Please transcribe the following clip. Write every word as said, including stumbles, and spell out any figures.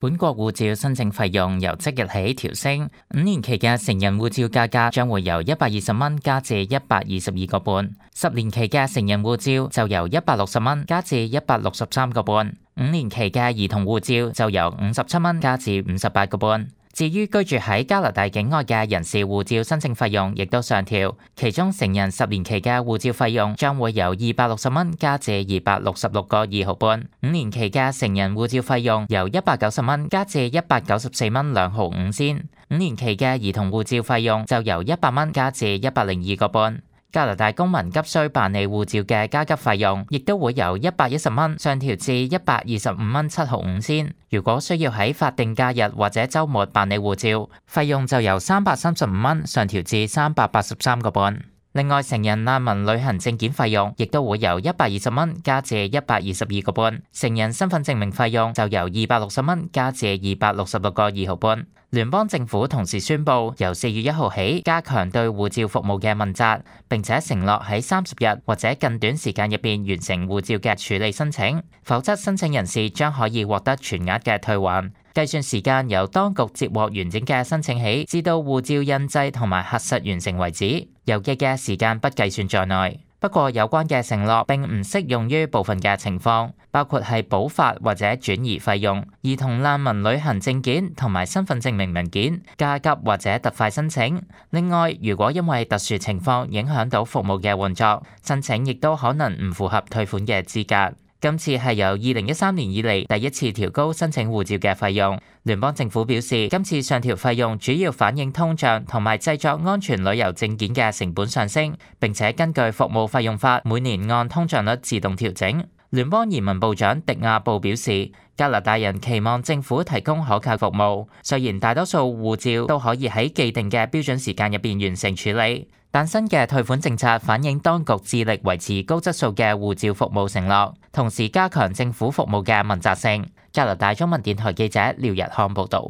本國護照申請費用由即日起調升，五年期嘅成人護照價格將會由一百二十蚊加至一百二十二個半，十年期嘅成人護照就由一百六十蚊加至一百六十三個半，五年期嘅兒童護照就由五十七蚊加至五十八個半。至於居住喺加拿大境外嘅人士護照申請費用亦都上調，其中成人十年期嘅護照費用將會由二百六十蚊加至二百六十六個二毫半，五年期嘅成人護照費用由一百九十蚊加至一百九十四蚊兩毫五仙，五年期嘅兒童護照費用就由一百蚊加至一百零二個半。加拿大公民急需辦理護照嘅加急費用，亦都會由一百一十蚊上調至一百二十五蚊七毫五仙。如果需要喺法定假日或者週末辦理護照，費用就由三百三十五蚊上調至三百八十三個半。另外，成人難民旅行證件費用亦都會由一百二十蚊加至一百二十二個半，成人身份證明費用就由二百六十蚊加至二百六十六個二毫半。聯邦政府同時宣布，由四月一號起加強對護照服務嘅問責，並且承諾喺三十日或者更短時間入邊完成護照嘅處理申請，否則申請人士將可以獲得全額嘅退還。計算時間由當局接獲完整嘅申請起，至到護照印製同埋核實完成為止，郵寄嘅時間不計算在內。不過有關嘅承諾並唔適用於部分嘅情況，包括係補發或者轉移費用、兒童難民旅行證件同埋身份證明文件、加急或者特快申請。另外，如果因為特殊情況影響到服務嘅運作，申請亦都可能唔符合退款嘅資格。今次係由二零一三年以嚟第一次調高申請護照嘅費用。聯邦政府表示，今次上調費用主要反映通脹同埋製作安全旅遊證件嘅成本上升，並且根據服務費用法每年按通脹率自動調整。聯邦移民部長迪亞布表示，加拿大人期望政府提供可靠服務，雖然大多數護照都可以喺既定嘅標準時間入邊完成處理，但新嘅退款政策反映當局致力維持高質素嘅護照服務承諾，同時加強政府服務嘅問責性。加拿大中文電台記者廖日康報導。